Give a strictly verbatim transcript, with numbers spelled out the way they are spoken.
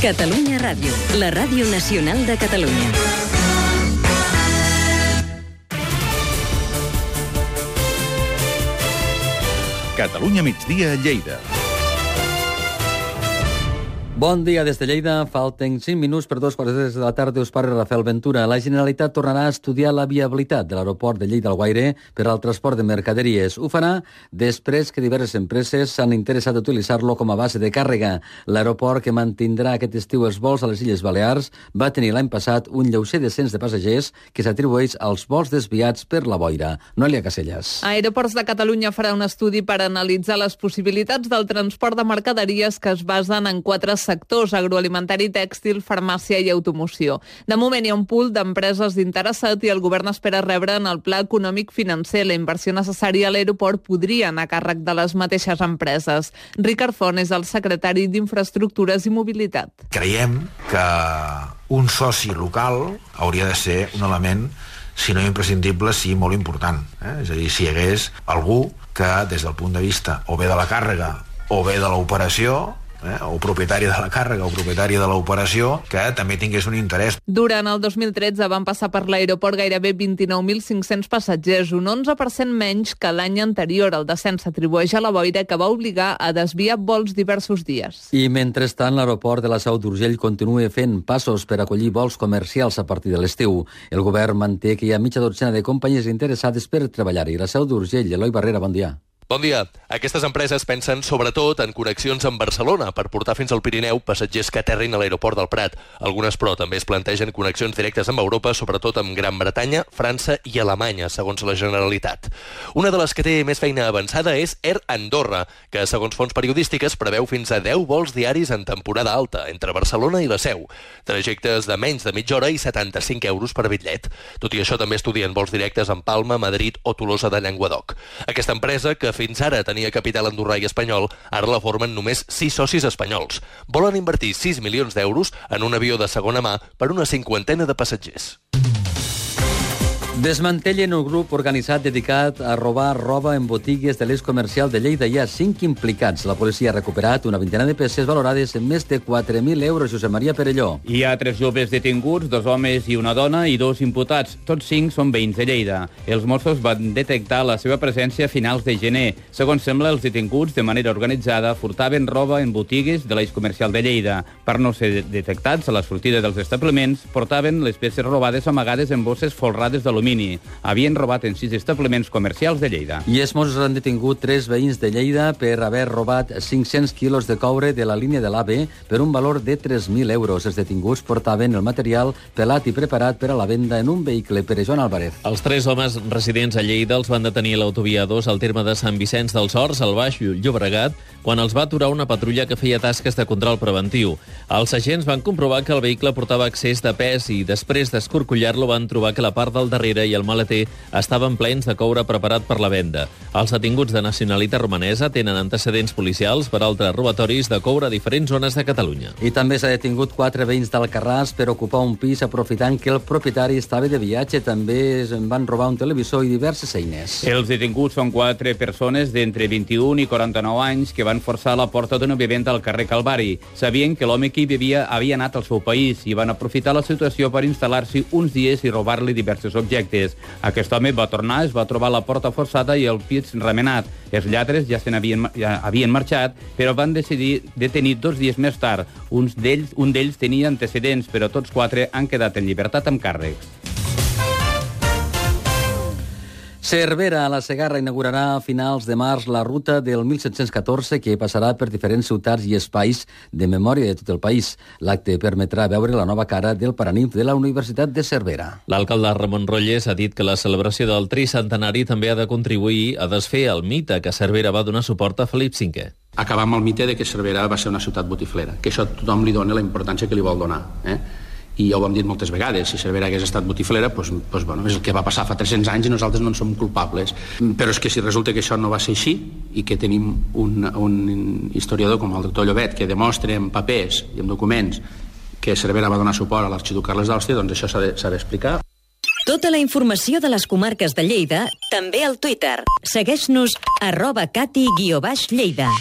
Catalunya Ràdio, la ràdio nacional de Catalunya. Catalunya migdia a Lleida. Bon dia des de Lleida. Falten cinc minuts per dos quarts de la tarda. Us parla Rafael Ventura. La Generalitat tornarà a estudiar la viabilitat de l'aeroport de Lleida-Alguaire per al transport de mercaderies. Ho farà després que diverses empreses s'han interessat a utilitzar-lo com a base de càrrega. L'aeroport, que mantindrà aquest estiu els vols a les Illes Balears, va tenir l'any passat un lleuger descens de passatgers que s'atribueix als vols desviats per la boira. Noelia Casellas. Aeroports de Catalunya farà un estudi per analitzar les possibilitats del transport de mercaderies que es basen en quatre sectors: agroalimentari, tèxtil, farmàcia i automoció. De moment hi ha un pool d'empreses interessat i el govern espera rebre en el pla econòmic financer. La inversió necessària a l'aeroport podria anar a càrrec de les mateixes empreses. Ricard Font és el secretari d'Infraestructures i Mobilitat. Creiem que un soci local hauria de ser un element, si no imprescindible, sí molt important. Eh? És a dir, si hi hagués algú que des del punt de vista o bé de la càrrega o bé de l'operació, Eh, o propietari de la càrrega o propietari de l'operació, que també tingués un interès. Durant el dos mil tretze van passar per l'aeroport gairebé vint-i-nou mil cinc-cents passatgers, un onze per cent menys que l'any anterior. El descens s'atribueix a la boira, que va obligar a desviar vols diversos dies. I mentrestant, l'aeroport de la Seu d'Urgell continua fent passos per acollir vols comercials a partir de l'estiu. El govern manté que hi ha mitja dotzena de companyies interessades per treballar-hi. La Seu d'Urgell, Eloi Barrera, bon dia. Bon dia. Aquestes empreses pensen sobretot en connexions amb Barcelona per portar fins al Pirineu passatgers que aterrin a l'aeroport del Prat. Algunes, però, també es plantegen connexions directes amb Europa, sobretot amb Gran Bretanya, França i Alemanya, segons la Generalitat. Una de les que té més feina avançada és Air Andorra, que, segons fonts periodístiques, preveu fins a deu vols diaris en temporada alta, entre Barcelona i la Seu. Trajectes de menys de mitja hora i setanta-cinc euros per bitllet. Tot i això, també estudien vols directes en Palma, Madrid o Tolosa de Llenguadoc. Aquesta empresa, que fins ara tenia capital andorrà i espanyol, ara la formen només sis socis espanyols. Volen invertir sis milions d'euros en un avió de segona mà per una cinquantena de passatgers. Desmantellen un grup organitzat dedicat a robar roba en botigues de l'eix comercial de Lleida. Hi ha cinc implicats. La policia ha recuperat una vintena de peces valorades en més de quatre mil euros. Josep Maria Perelló. Hi ha tres joves detinguts, dos homes i una dona, i dos imputats. Tots cinc són veïns de Lleida. Els Mossos van detectar la seva presència a finals de gener. Segons sembla, els detinguts, de manera organitzada, furtaven roba en botigues de l'eix comercial de Lleida. Per no ser detectats a la sortida dels establiments, portaven les peces robades amagades en bosses folrades d'alumini. Havien robat en sis establiments comercials de Lleida. I els Mossos han detingut tres veïns de Lleida per haver robat cinc-cents quilos de coure de la línia de l'AVE per un valor de tres mil euros. Els detinguts portaven el material pelat i preparat per a la venda en un vehicle. Per Joan Álvarez. Els tres homes residents a Lleida els van detenir a l'autovia dos al terme de Sant Vicenç dels Horts, al Baix Llobregat, quan els va aturar una patrulla que feia tasques de control preventiu. Els agents van comprovar que el vehicle portava excés de pes i després d'escorcollar-lo van trobar que la part del darrere i el maleter estaven plens de coure preparat per la venda. Els detinguts de nacionalitat romanesa tenen antecedents policials per altres robatoris de coure a diferents zones de Catalunya. I també s'ha detingut quatre veïns d'Alcarràs per ocupar un pis aprofitant que el propietari estava de viatge. També es van robar un televisor i diverses eines. Els detinguts són quatre persones d'entre vint-i-un i quaranta-nou anys que van forçar la porta d'una vivenda al carrer Calvari. Sabien que l'home que hi vivia havia anat al seu país i van aprofitar la situació per instal·lar-s'hi uns dies i robar-li diversos objectes. Aquest home va tornar, es va trobar la porta forçada i el pis remenat. Els lladres ja se n'havien ja havien marxat, però van decidir detenir dos dies més tard. Un d'ells, un d'ells tenia antecedents, però tots quatre han quedat en llibertat amb càrrecs. Cervera, a la Segarra, inaugurarà a finals de març la ruta del mil set-cents catorze, que passarà per diferents ciutats i espais de memòria de tot el país. L'acte permetrà veure la nova cara del Paranimf de la Universitat de Cervera. L'alcalde Ramon Rolles ha dit que la celebració del tricentenari també ha de contribuir a desfer el mite que Cervera va donar suport a Felip cinquè. Acabar amb el mite de que Cervera va ser una ciutat botiflera, que això tothom li dona la importància que li vol donar, eh? I ja ho hem dit moltes vegades, si Cervera hagués estat botiflera, doncs, doncs, bueno, és el que va passar fa tres-cents anys i nosaltres no en som culpables. Però és que si resulta que això no va ser així i que tenim un, un historiador com el doctor Llobet que demostra en papers i en documents que Cervera va donar suport a l'arxiduc Carles d'Àustria, doncs això s'ha d'explicar. Tota la informació de les comarques de Lleida, també al Twitter. Segueix-nos arroba cati guió baix Lleida.